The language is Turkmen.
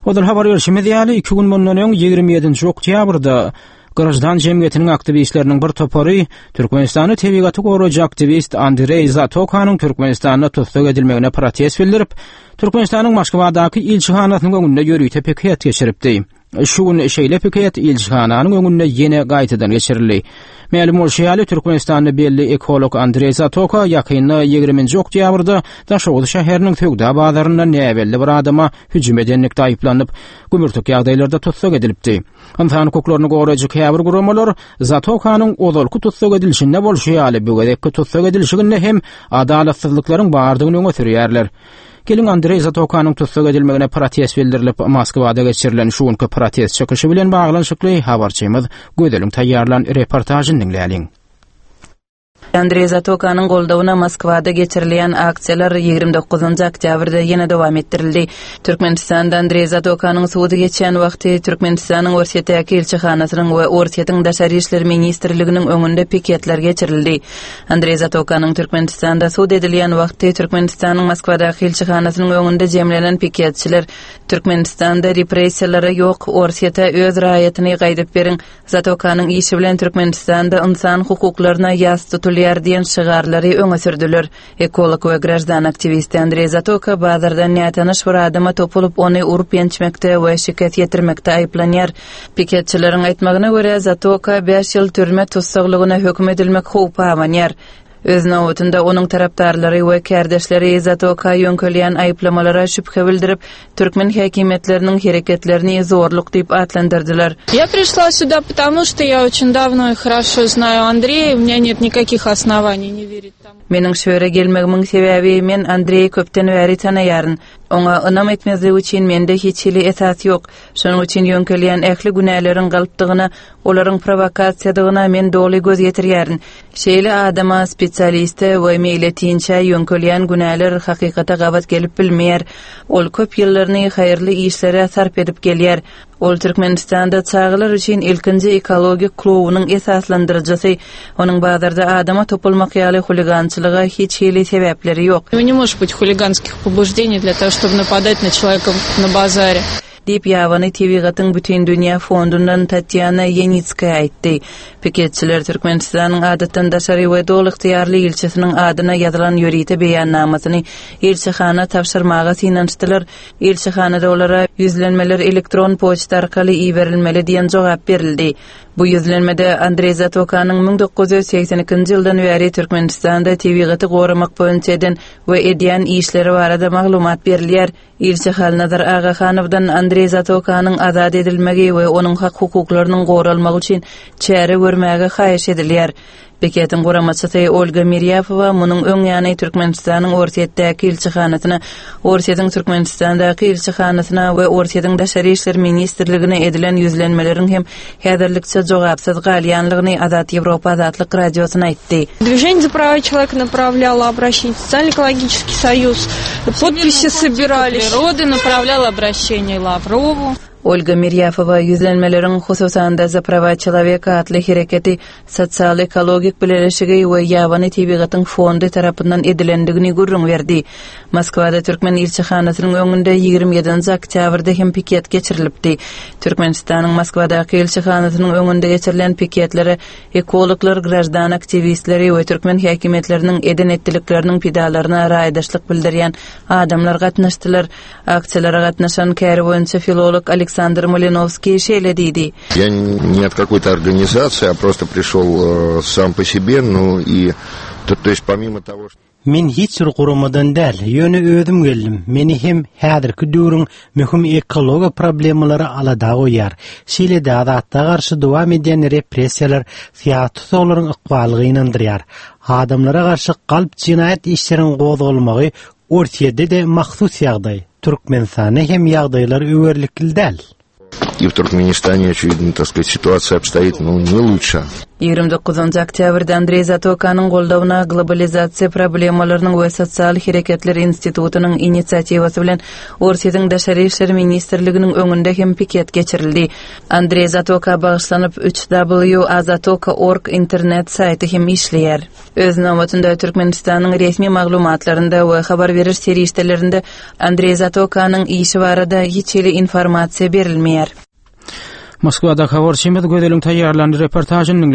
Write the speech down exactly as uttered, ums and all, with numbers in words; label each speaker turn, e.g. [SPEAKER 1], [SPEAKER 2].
[SPEAKER 1] Ozal habar berşimiz ýaly, iki gün mundan öň ýigrimi ýedinji oktýabrda graždan jemgyýetiniň aktiwistleriniň bir topary Türkmenistanda tebigaty goraýjy aktiwist Andreý Zatokanyň Türkmenistanda tussag edilmegine protest bildirip, Türkmenistanyň Moskwadaky ilçihanasynyň öňünde ýörite piket geçiripdi. Şu gün şeýle piket ilçihananyň öňünde ýene gaýtadan geçirildi. Mälim bolşy ýaly, Türkmenistanda belli ekolog Andreý Zatoka ýakynda ýigriminji oktýabrda Daşoguz şäheriniň söwda bazarynda näbelli bir adama hüjüm edenlikde aýyplanyp, gümürtik ýagdaýlarda tussag edilipdi. Ynsan hukuklaryny goraýjy käbir guramalar Zatokanyň ozalky tussag edilişinde bolşy ýaly, bu gezekki tussag edilişiginde hem adalatsyzlyklaryň bardygyny öňe sürýärler. Geliň, Andreý Zatokanyň tussag edilmegine protest bildirilip, Moskwada geçirilen şu günki protest çykyşy bilen baglanyşykly habarçymyz Gözeliň taýýarlan reportažyny diňläliň.
[SPEAKER 2] Andreý Zatokanyň goldawyna Moskwada geçirilýän aksiýalar ýigrimi dokuzynjy oktýabrda ýene dowam etdirildi. Türkmenistanda Andreý Zatokanyň sudy geçýän wagty Türkmenistanyň Orsýetdäki ilçihanasynyň we Orsýetiň Daşary işler ministrliginiň öňünde piketler geçirildi. Andreý Zatokanyň Türkmenistanda sud edilýän wagty Türkmenistanyň Moskwadaky ilçihanasynyň öňünde jemlenen piketçiler Türkmenistanda repressiýalara ýok, Orsýete öz raýatyny gaýdyp beriň, Zatokanyň işi bilen Türkmenistanda ynsan hukuklaryna ýas tutulýar diýen şygarlary öňe sürdüler. Ekolog we graždan aktiwisti Andreý Zatoka bazardan nätanyş bir adama topulyp, ony urup ýençmekde we şikes ýetirmekde aýyplanýar. Piketçileriň aýtmagyna görä, Zatoka bäş ýyl türme tussaglygyna höküm edilmek howpy abanýar. Öz nobatynda onuň tarapdarlary we kärdeşleri Zatoka ýöňkelýän aýyplamalara şübhe bildirip, türkmen häkimiýetleriniň hereketlerini zorluk diýip atlandyrdylar.
[SPEAKER 3] Я пришла сюда, потому что я очень давно и хорошо знаю Андрея, у меня нет никаких оснований не верить тому.
[SPEAKER 2] Meniň şu ýere gelmegimiň sebäbi men Andreýi köpden bäri tanaýaryn. Oňa ynam etmezlik üçin mende hiç hili esas ýok. Şonuň üçin ýöňkelýän ähli günäleriň galpdygyna, olaryň prowokasiýadygyna men doly göz ýetirýärin. Şeýle adama, spesialiste we meýletinçä ýöňkelýän günäler hakykata gabat gelip bilmeýär. Ol köp ýyllaryny haýyrly işlere sarp edip gelýär. Ol Türkmenistanda çagalar üçin ilkinji ekologik klubunyň esaslandyryjysy. Onuň bazarda adama topulmak ýaly huligançylyga hiç hili sebäpleri ýok.
[SPEAKER 3] У него не может быть хулиганских побуждений для того, чтобы нападать на человека на базаре.
[SPEAKER 2] Diýip Ýabany tebigatyň bütindünýä fondundan Tatýana Ýenitskaýa aýtdy. Piketçiler Türkmenistanyň adatdan daşary we doly ygtyýarly ilçisiniň adyna ýazylan ýörite beýannamasyny ilçihana tabşyrmaga synanyşdylar. Ilçihanada olara ýüzlenmeler elektron poçta arkaly iberilmeli diýen jogap berildi. Bu ýüzlenmede Andreý Zatokanyň müň dokuz ýüz segsen ikinji ýyldan bäri Türkmenistanda tebigaty goramak boýunça eden we edýän işleri barada maglumat berilýär. Ilçi Halnazar Agahanowdan Andreý Zatokanyň azat edilmegi we onuň hak hukuklarynyň goralmagy üçin çäre görmäge haýyş edilýär. Piketiň guramaçysy Olga Mirýapowa munuň öň ýany Türkmenistanyň Orsýetdäki ilçihanasyna, Orsýetiň Türkmenistandaky ilçihanasyna we Orsýetiň Daşary işler ministrligine edilen ýüzlenmeleriň hem häzirlikçe jogapsyz galýanlygyny Azat Ýewropa Azatlyk Radiosyna aýtdy.
[SPEAKER 3] Движение за права человека направляло обращение в Социально-экологический союз, подписи собирались.
[SPEAKER 4] Природы направлял обращение Лаврову.
[SPEAKER 2] Olga Mirýafowa ýüzlenmeleriň hususan-da За права человека atly hereketi sosial-ekologik bileleşigi we Ýabany tebigatyň fondy tarapyndan edilendigini gürrüň berdi. Moskwada Türkmen ilçihanasynyň öňünde ýigrimi ýedinji oktýabrda hem piket geçirilipdi. Türkmenistanyň Moskwadaky ilçihanasynyň öňünde geçirilen piketlere ekologlar, graždan aktiwistleri we türkmen häkimiýetleriniň eden etdilikleriniň pidalaryna raýdaşlyk bildirýän adamlar gatnaşdylar. Aksiýalara gatnaşan käri boýunça filolog Aleksandr Malinowskiý şeýle diýdi.
[SPEAKER 5] Я не от какой-то организации, а просто пришел, э, сам по себе, ну и то, то есть помимо того, что
[SPEAKER 6] Men hiç bir guramadan däl, ýöne özüm geldim. Meni hem häzirki döwrüň möhüm ekologiýa problemalary alada goýýar. Şeýle-de azatlyga garşy dowam edýän repressiýalar syýasy tussaglaryň ykbalyny gynandyrýar. Adamlara garşy galp jinaýat işleriň gozgalmagy Orsýetde-de mahsus ýagdaý. Türkmenistanda hem ýagdaýlar öwerlikli däl.
[SPEAKER 5] И в Туркменистане, очевидно, так сказать, ситуация обстоит, ну, не лучше.
[SPEAKER 2] Ýigrimi dokuzynjy oktýabrda Andreý Zatokanyň goldawyna Globalizasiýa problemalarynyň we sosial hereketler institutynyň inisiatiwasy bilen Orsýetiň Daşary işler ministrliginiň öňünde hem piket geçirildi. Andreý Zatoka bagyşlanyp üç W azatoka org internet saýty hem işleýär. Öz nobatynda Türkmenistanyň resmi maglumatlarynda we habar beriş serişdelerinde Andreý Zatokanyň işi barada hiç hili informasiýa berilmeýär.
[SPEAKER 1] Moskwada habarçymyz Gözeliň taýýarlan reportažyny diňledik.